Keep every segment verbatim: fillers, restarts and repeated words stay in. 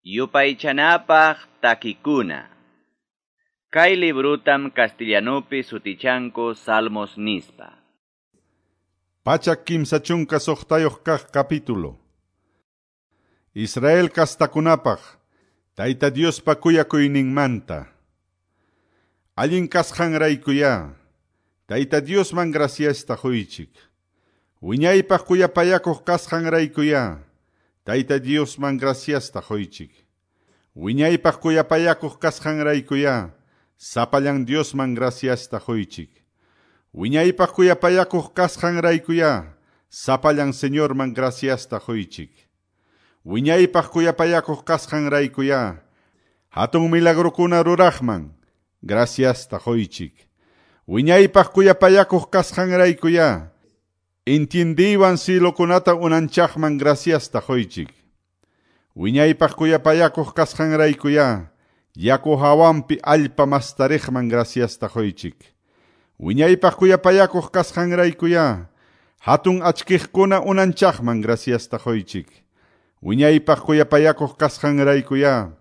Yupaychanapaq takikuna. Kay librutam castellanupi sutichanku Salmos nispa. Pachak kimsa chunka suqtayuq kaq capítulo. Israel kastakunapaq, Tayta Diospa kuyakuyninmanta. Allin kasqanraykuyá, Tayta Diosman graciasta quychik. Wiñaypaq kuyapayakuq kasqanraykuyá, Tayta Diosman graciasta quychik. Wiñaypaq kuyapayakuq kasqanraykuyá, sapallan Diosman graciasta quychik. Wiñaypaq kuyapayakuq kasqanraykuyá, sapallan Señorman graciasta quychik. Wiñaypaq kuyapayakuq kasqanraykuyá, hatun milagrokuna ruraqman graciasta quychik. Wiñaypaq kuyapayakuq kasqanraykuyá, intindiwan silokunata unanchaqman graciasta quychik. Wiñaypaq kuyapayakuq kasqanraykuyá, yaku hawanpi allpa mastariqman graciasta quychik. Wiñaypaq kuyapayakuq kasqanraykuyá, hatun achkiqkuna unanchaqman graciasta quychik. Wiñaypaq kuyapayakuq kasqanraykuyá,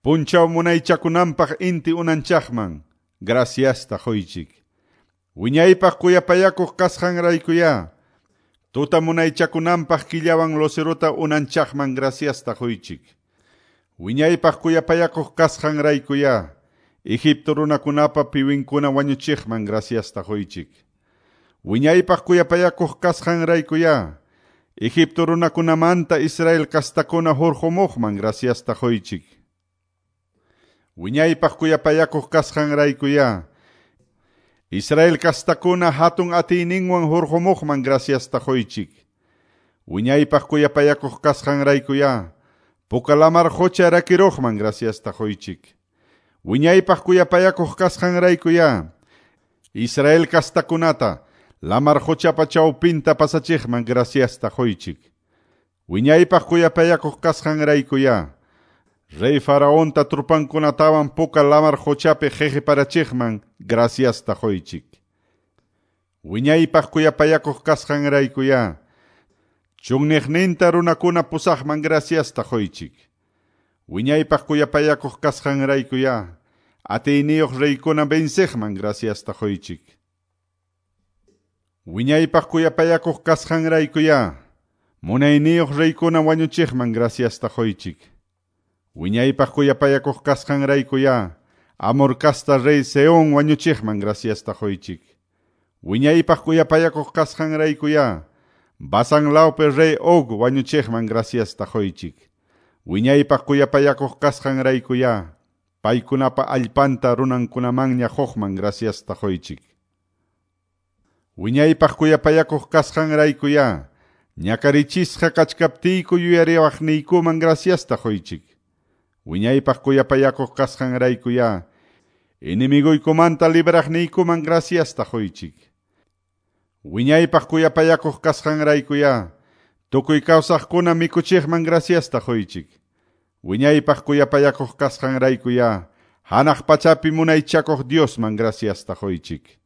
punchaw munaychakunanpaq inti unanchaqman graciasta quychik. Wiñaypaq kuyapayakuq kasqanraykuyá, tuta munaychakunanpaq killawan lucerota unanchaqman graciasta quychik. Wiñaypaq kuyapayakuq kasqanraykuyá, Egipto runakunapa piwinkuna wañuchiqman graciasta quychik. Wiñaypaq kuyapayakuq kasqanraykuyá, Egipto runakunamanta Israel kastakuna hurqumuqman graciasta quychik. Wiñaypaq kuyapayakuq kasqanraykuyá, Israel kastakuna hatun atiyninwan hurqumuqman graciasta quychik. Wiñaypaq kuyapayakuq kasqanraykuyá, Puka lamar qucha rakiruqman graciasta quychik. Wiñaypaq kuyapayakuq kasqanraykuyá, Israel kastakunata lamar quchapa chawpinta pasachiqman graciasta quychik. Wiñaypaq kuyapayakuq kasqanraykuyá, Rey Faraonta trupankunatawan puka lamar quchapi qhiqiparachiqman graciasta quychik. Wiñaypaq kuyapayakuq kasqanraykuyá, chunniqninta runakuna pusaqman graciasta quychik. Wiñaypaq kuyapayakuq kasqanraykuyá, atiyniyuq reykuna venceqman graciasta quychik. Wiñaypaq kuyapayakuq kasqanraykuyá, munayniyuq reykuna wañuchiqman graciasta quychik. Wiñaypaq kuyapayakuq kasqanraykuyá, Amor kasta rey Sehón wañuchiqman graciasta quychik. Wiñaypaq kuyapayakuq kasqanraykuyá, Basán lawpi rey Og wañuchiqman graciasta quychik. Wiñaypaq kuyapayakuq kasqanraykuyá, paykunapa allpanta runankunamanña quqman graciasta quychik. Wiñaypaq kuyapayakuq kasqanraykuyá, ñakarichisqa kachkaptiyku yuyariwaqniykuman graciasta quychik. Wiñaypaq kuyapayakuq kasqanraykuyá, enemiguykumanta libraqniykuman graciasta quychik. Wiñaypaq kuyapayakuq kasqanraykuyá, tukuy kawsaqkuna mikuchiqman graciasta quychik. Wiñaypaq kuyapayakuq kasqanraykuyá, hanaq pachapi munaychakuq Diosman graciasta quychik.